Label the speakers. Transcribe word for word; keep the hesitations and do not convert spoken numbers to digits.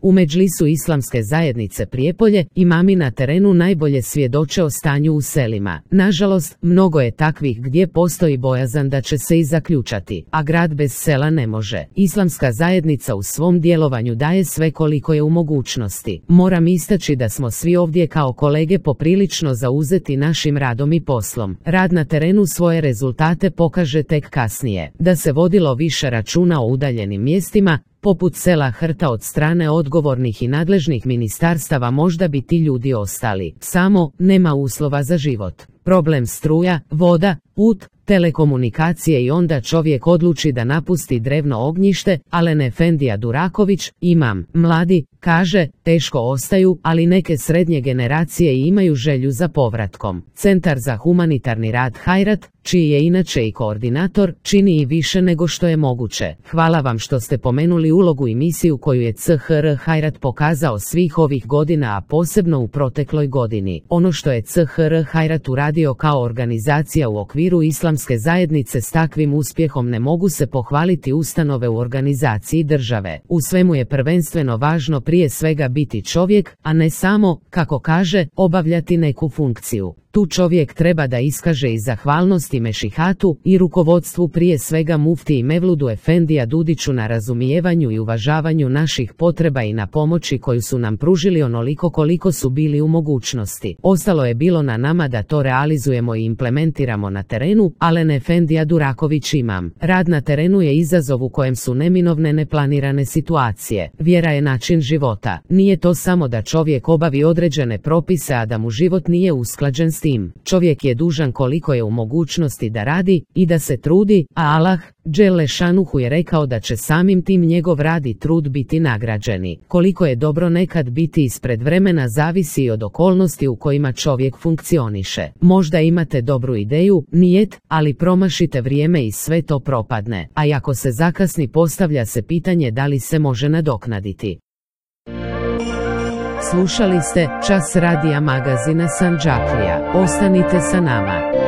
Speaker 1: U Medžlisu Islamske zajednice Prijepolje imami na terenu najbolje svjedoče o stanju u selima. Nažalost, mnogo je takvih gdje postoji bojazan da će se i zaključati, a grad bez sela ne može. Islamska zajednica u svom djelovanju daje sve koliko je u mogućnosti. Moram istaći da smo svi ovdje kao kolege poprilično zauzeti našim radom i poslom. Rad na terenu svoje rezultate pokaže tek kasnije. Da se vodilo više računa o udaljenim mjestima, poput sela Hrta od strane odgovornih i nadležnih ministarstava, možda bi ti ljudi ostali. Samo, nema uslova za život. Problem struja, voda, put, telekomunikacije i onda čovjek odluči da napusti drevno ognjište. Alen Efendija Duraković, imam, mladi, kaže, teško ostaju, ali neke srednje generacije imaju želju za povratkom. Centar za humanitarni rad Hajrat, čiji je inače i koordinator, čini i više nego što je moguće. Hvala vam što ste pomenuli ulogu i misiju koju je C H R Hajrat pokazao svih ovih godina, a posebno u protekloj godini. Ono što je C H R Hajrat uradio kao organizacija u okviru Islamske zajednice, s takvim uspjehom ne mogu se pohvaliti ustanove u organizaciji države. U svemu je prvenstveno važno prije svega biti čovjek, a ne samo, kako kaže, obavljati neku funkciju. Tu čovjek treba da iskaže i zahvalnost i mešihatu i rukovodstvu, prije svega mufti i Mevludu Efendija Dudiću, na razumijevanju i uvažavanju naših potreba i na pomoći koju su nam pružili onoliko koliko su bili u mogućnosti. Ostalo je bilo na nama da to realizujemo i implementiramo na terenu. Alen Efendija Duraković, imam. Rad na terenu je izazov u kojem su neminovne neplanirane situacije. Vjera je način života. Nije to samo da čovjek obavi određene propise, a da mu život nije usklađen s tim. Čovjek je dužan koliko je u mogućnosti da radi i da se trudi, a Allah, Dželle šanuhu, je rekao da će samim tim njegov rad i trud biti nagrađeni. Koliko je dobro nekad biti ispred vremena zavisi i od okolnosti u kojima čovjek funkcioniše. Možda imate dobru ideju, nijet, ali promašite vrijeme i sve to propadne. A ako se zakasni, postavlja se pitanje da li se može nadoknaditi. Slušali ste Čas radija magazina Sandžaklija. Ostanite sa nama.